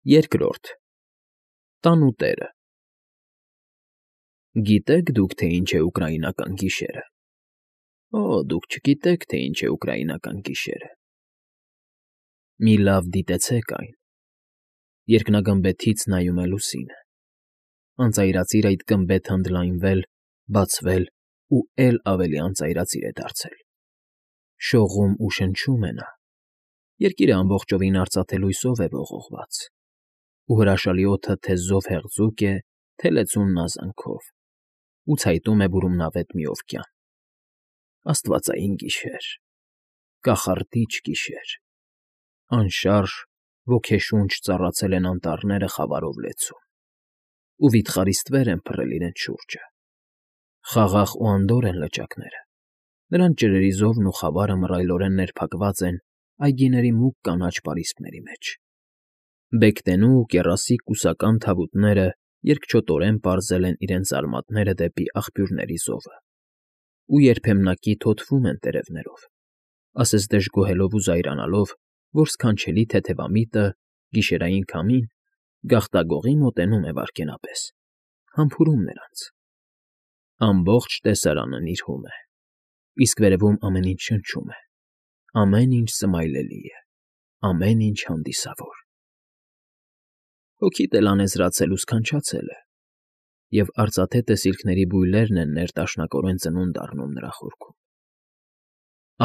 Երկրորդ Տանուտերը Գիտեք դուք, թե ինչ է ուկրաինական գիշերը։ Օ, դուք չգիտեք, թե ինչ է ուկրաինական գիշերը։ Մի լավ դիտեցեք այն։ Երկնագմբեթից նայում է լուսինը։ Անծայրածիր այդ գմբեթը ընդլայնվել, բացվել ու էլ ավելի անծայրածիր է դարձել։ Շողում ու շնչում է նա։ Երկիրը ամբողջովին արծաթե լույսով է ողողված։ Ու հրաշալի օդը թե զով հեղձուկ է, թե լեցուն նազանքով, ու ցայտում է բուրումնավետ մի օվկյան։ Աստվածային գիշեր, կախարդիչ գիշեր, անշարժ, ոգեշունչ ծառացել են անտառները խավարով լեցուն, ու վիթխարի ստվեր են փռել իրենց շուրջը։ Խաղաղ ու անդորր են լճակները, նրանց ջրերի զովն ու խավարը մռայլորեն ներփակված են այգիների մուգ կանաչ պարիսպների մեջ։ Բեկտենու ու կեռասիկ կուսական թավուտները երկչոտորեն պարզել են իրենց արմատները դեպի աղբյուրների զովը, ու երբեմնակի թոթվում են տերևներով, ասես դժգոհելով ու զայրանալով, որ սքանչելի թեթևամիտը, գիշերային քամին, գաղտագողի մոտենում է վայրկենապես, համբուրում նրանց։ Ամբողջ տեսարանը նիրհում է, իսկ վերևում ամեն ինչ շնչում է, ամեն ինչ սմայլելի է, ամեն ինչ հանդիսավոր։ Հոգիդ էլ անեզրացել ու սքանչացել է, և արծաթե տեսիլքների բույլերն են ներդաշնակորեն ծնունդ առնում նրա խորքում։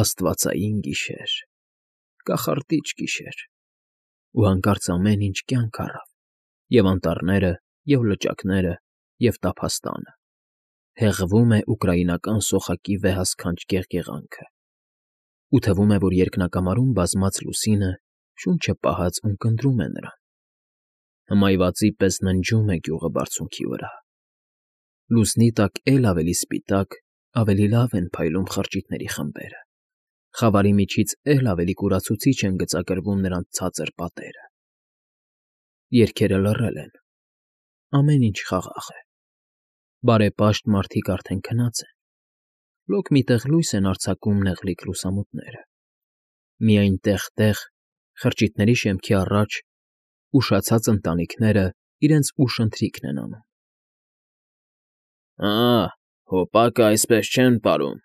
Աստվածային գիշեր, կախարդիչ գիշեր, ու հանկարծ ամեն ինչ կյանք առավ, և անտառները, և լճակները, և տափաստանը։ Հեղվում է ուկրաինական սոխակի վեհասքանչ գեղգեղանքը, ու թվում է, որ երկնակամարում բազմած լուսինը շունչը պահած ունկնդրում է նրան։ Հմայվածի պես ննջում է գյուղը բարձունքի վրա։ Լուսնի տակ էլ ավելի սպիտակ, ավելի լավ են փայլում խրճիթների խմբերը, խավարի միջից էլ ավելի կուրացուցիչ են գծագրվում նրանց ցածր պատերը։ Երգերը լռել են, ամեն ինչ խաղաղ է։ Բարեպաշտ մարդիկ արդեն քնած են, լոկ մի տեղ լույս են արձակում նեղլիկ լուսամուտները։ Միայն տեղ֊տեղ, խրճիթների շեմքի առաջ, ուշացած ընտանիքները իրենց ուշընթրիքն են անում։ Հոպակը այսպես չեն պարում։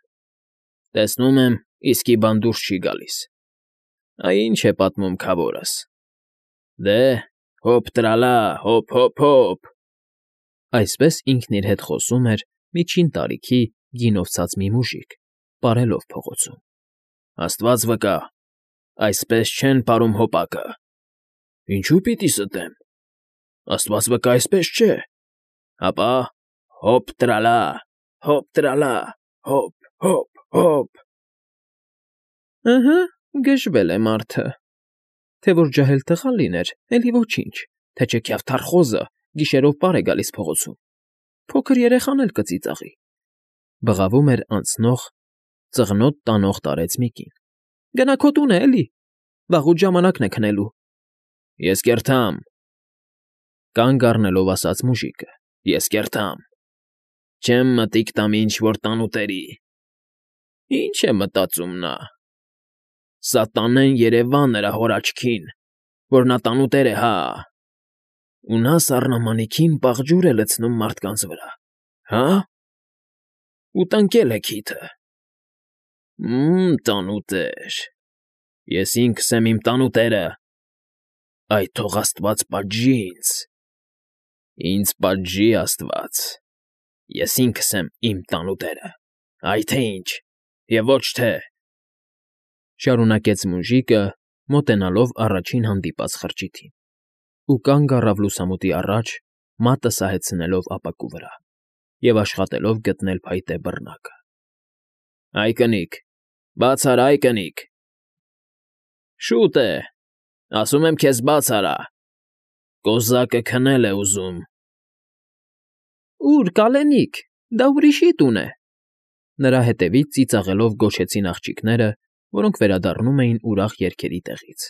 Տեսնում եմ, իսկի բան դուրս չի գալիս։ Ինչ է պատմում քավորս։ Դե, հոպ տրալա, հոպ։ Այսպես ինքն իր հետ խոսում էր միջին տարիքի գինով ցած մի մուժիկ, պարելով փողոցում։ Աստված վկա, այսպես չեն պարում հոպակը։ Ինչու պիտի ստեմ։ Աստված վկա, այսպես չէ։ Հապա հոպ տրալա, հոպ։ Գժվել է մարդը։ Թե որ ջահել տղա լիներ, էլի ոչինչ, թե չէ քյավթարխոզը գիշերով պար է գալիս փողոցում։ Փոքր երեխան էլ կծիծաղի։ Բղավում էր անցնող, ծղնոտ տանող տարեց մի կին։ Գնա քո տունը, էլի։ Վաղուց ժամանակն է քնելու։ Ես կերթամ։ Կանգ առնելով ասաց մուժիկը։ Ես կերթամ։ Չեմ մտիկ տամ ինչ֊որ տանուտերի։ Ինչ է մտածում նա։ Սատանեն երևա նրա հոր աչքին, որ նա տանուտեր է, հա։ Ու նա սառնամանիքին պաղ ջուր է լցնում մարդկանց վրա, հա։ Ու տնկել է քիթը։ Տանուտեր։ Ես ինքս եմ իմ տանուտերը։ Այդ թող աստված պատժի ինձ։ Ինձ պատժի աստված։ Ես ինքս եմ իմ տանուտերը, այ թե ինչ, և ոչ թե… Շարունակեց մուժիկը, մոտենալով առաջին հանդիպած խրճիթին, ու կանգ առավ լուսամուտի առաջ, մատը սահեցնելով ապակու վրա, և աշխատելով գտնել փայտե բռնակը։ Այ կնիկ, բաց արա, այ կնիկ։ Շուտ է, ասում եմ քեզ բաց արա, կոզակը քնել է ուզում։ Ո՞ւր, կալենիք, դա ուրիշի տուն է։ Նրա հետևից ծիծաղելով գոչեցին աղջիկները, որոնք վերադառնում էին ուրախ երգերի տեղից։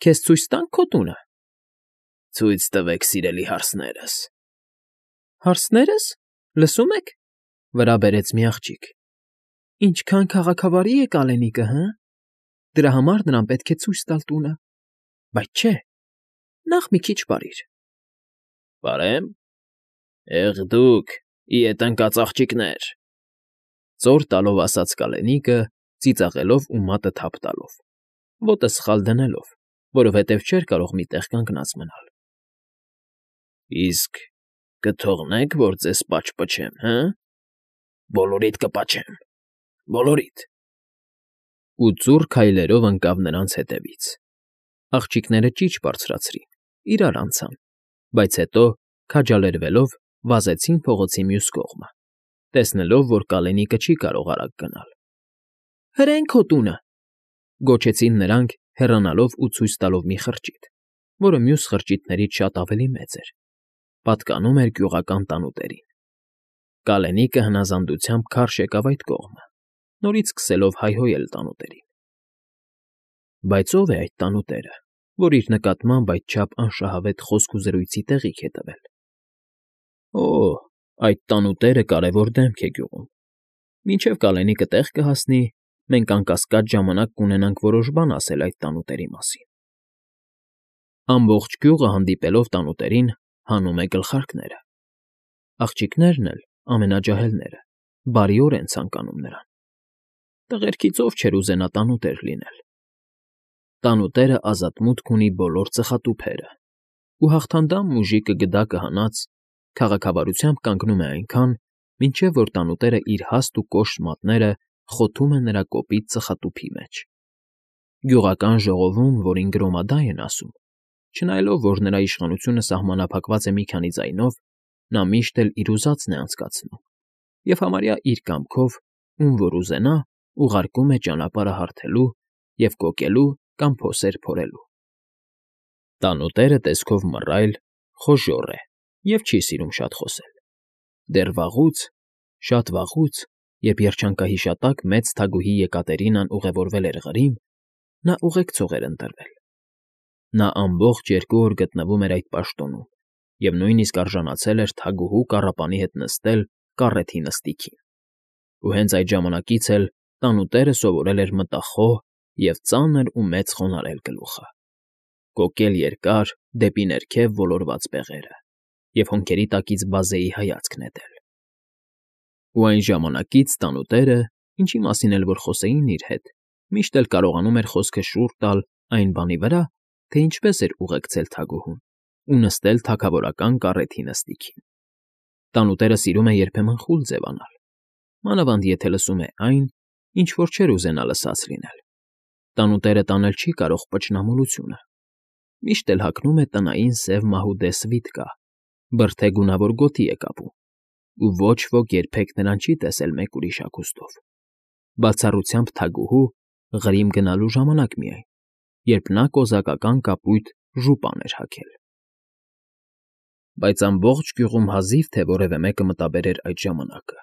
Քեզ ցույց տա՞նք քո տունը։ Ցույց տվեք, սիրելի հարսներս։ Հարսնե՞րս, լսում եք, վրա բերեց մի աղջիկ։ Ինչքան քաղաքավարի է կալենիկը, հը։ Դրա համար նրան պետք է ցույց տալ տունը։ Բայց չէ։ Նախ մի քիչ բարիր։ Բարեմ։ Դուք, իդ ընկած աղջիկներ, Ծոր տալով ասաց կալենիկը, ծիծաղելով ու մատը թափ տալով, ոտը սխալ դնելով, որովհետև չէր կարող մի տեղ կանգնած մնալ։ Իսկ կթողնեք, որ ձեզ պաչպչեմ, հը՞։ Բոլորիդ կպաչեմ, բոլորիդ։ Ու ծուռ քայլերով ընկավ նրանց հետևից։ Աղջիկները ճիչ բարձրացրին, իրար անցան, բայց հետո, քաջալերվելով, վազեցին փողոցի մյուս կողմը, տեսնելով, որ կալենիկը չի կարող արագ գնալ։ Հրեն քո տունը, գոչեցին նրանք, հեռանալով ու ցույց տալով մի խրճիթ, որը մյուս խրճիթներից շատ ավելի մեծ էր, պատկանում էր գյուղական տանուտերին։ Կալենիկը հնազանդությամբ քարշ եկավ այդ կողմը, նորից սկսելով հայհոյել տանուտերին։ Բայց ո՞վ է այդ տանուտերը, որ իր նկատմամբ այդչափ անշահավետ խոսք ու զրույցի տեղիք է տվել։ Օ՜, այդ տանուտերը կարևոր դեմք է գյուղում։ Մինչև կալենիկը տեղ կհասնի, մենք անկասկած ժամանակ կունենանք որոշ բան ասել այդ տանուտերի մասին։ Ամբողջ գյուղը հանդիպելով տանուտերին, հանում է գլխարկները։ Աղջիկներն էլ, ամենաջահելները, բարիոր են ցանկանում նրան։ Տղերքից ով չէր ուզենա տանուտեր լինել։ Տանուտերը ազատ մուտք ունի բոլոր ծխատուփերը, ու հաղթանդամ մուժիկը գդակը հանած քաղաքավարությամբ կանգնում է այնքան, մինչև որ տանուտերը իր հաստ ու կոշտ մատները խոթում է նրա կոպիտ ծխատուփի մեջ։ Գյուղական ժողովում, որին գրոմադայ են ասում, չնայելով, որ նրա իշխանությունը սահմանափակված է մի քանի ձայնով, նա միշտ էլ իր ուզածն է անցկացնում, և համարյա իր կամքով, ում որ ուզենա, ուղարկում է ճանապարհը հարթելու և կոկելու կամ փոսեր փորելու։ Տանուտերը տեսքով մռայլ, խոժոռ է և չի սիրում շատ խոսել։ Դեռ վաղուց, շատ վաղուց, երբ երջանկահիշատակ մեծ թագուհի Եկատերինան ուղևորվել էր Ղրիմ, նա ուղեկցող էր ընտրվել։ Նա ամբողջ 2 օր գտնվում էր այդ պաշտոնում և նույնիսկ արժանացել էր թագուհու կառապանի հետ նստել կառեթի նստիքին։ Ու հենց այդ ժամանակից էլ տանուտերը սովորել էր մտախոհ և ծանր ու մեծ խոնարհել գլուխը, կոկել երկար, դեպի ներքև ոլորված բեղերը և հոնքերի տակից բազեի հայացք նետել։ Ու այն ժամանակից տանուտերը, ինչի մասին էլ որ խոսեին իր հետ, միշտ էլ կարողանում էր խոսքը շուռ տալ այն բանի վրա, թե ինչպես էր ուղեկցել թագուհուն ու նստել թագավորական կառեթի նստիքին։ Տանուտերը սիրում է երբեմն խուլ ձևանալ, մանավանդ եթե լսում է այն, ինչ որ չէր ուզենա լսած լինել։ Տանուտերը տանել չի կարող պճնամոլությունը։ Միշտ էլ հագնում է տնային սև մահուդե սվիթկա, բրդե գունավոր գոտի է կապում, ու ոչ ոք երբեք նրան չի տեսել մեկ ուրիշ հագուստով։ Բացառությամբ թագուհու Ղրիմ գնալու ժամանակ միայն, երբ նա կոզակական կապույտ ժուպան էր հագել։ Բայց ամբողջ գյուղում հազիվ թե որևէ մեկը մտաբերեր այդ ժամանակը,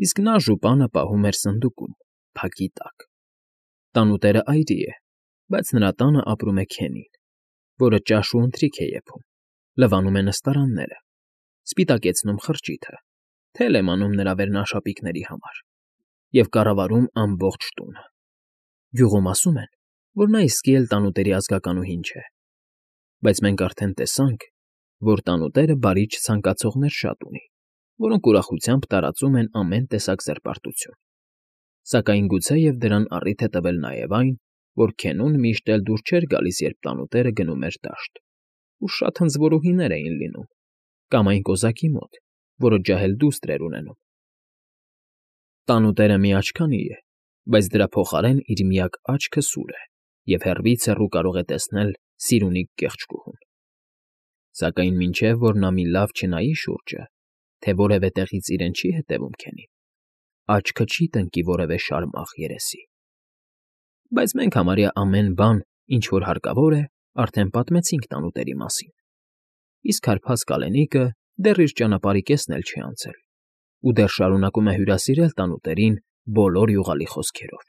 իսկ նա ժուպանը պահում էր սնդուկում, փակի տակ։ Տանուտերը այրի է, բայց նրա տանը ապրում է Քենին, որը ճաշ ու ընթրիք է եփում, լվանում է նստարանները, սպիտակեցնում խրճիթը, թել է մանում նրա վերնաշապիկների համար և կառավարում ամբողջ տունը։ Գյուղում ասում են, որ նա իսկի էլ տանուտերի ազգականուհին չէ, բայց մենք արդեն տեսանք, որ տանուտերը բարի չցանկացողներ շատ ունի, որոնք ուրախությամբ տարածում են ամեն տեսակ զրպարտություն։ Սակայն գուցեև դրան առիթ է տվել նաև այն, որ Քենուն միշտ էլ դուր չէր գալիս, երբ տանուտերը գնում էր դաշտ, ու շատ հնձվորուհիներ էին լինում, կամ այն կոզակի մոտ, որը ջահել դուստր էր ունենում։ Տանուտերը միաչքանի է, բայց դրա փոխարեն իր միակ աչքը սուր է և հեռվից հեռու կարող է տեսնել սիրունիկ կեղճկուհուն։ Սակայն մինչև որ նա մի լավ չնայի շուրջը, թե որևէ տեղից իրեն չի հետևում Քենին, աչքը չի տնկի որևէ շարմաղ երեսի։ Բայց մենք համարյա ամեն բան, ինչ որ հարկավոր է, արդեն պատմեցինք տանուտերի մասին, իսկ հարբած կալենիկը դեռ իր ճանապարհի կեսն էլ չի անցել ու դեռ շարունակում է հյուրասիրել տանուտերին բոլոր յուղալի խոսքերով,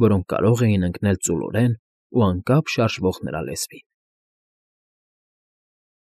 որոնք կարող էին ընկնել ծուլորեն ու անկապ շարժվող նրա լեզվին։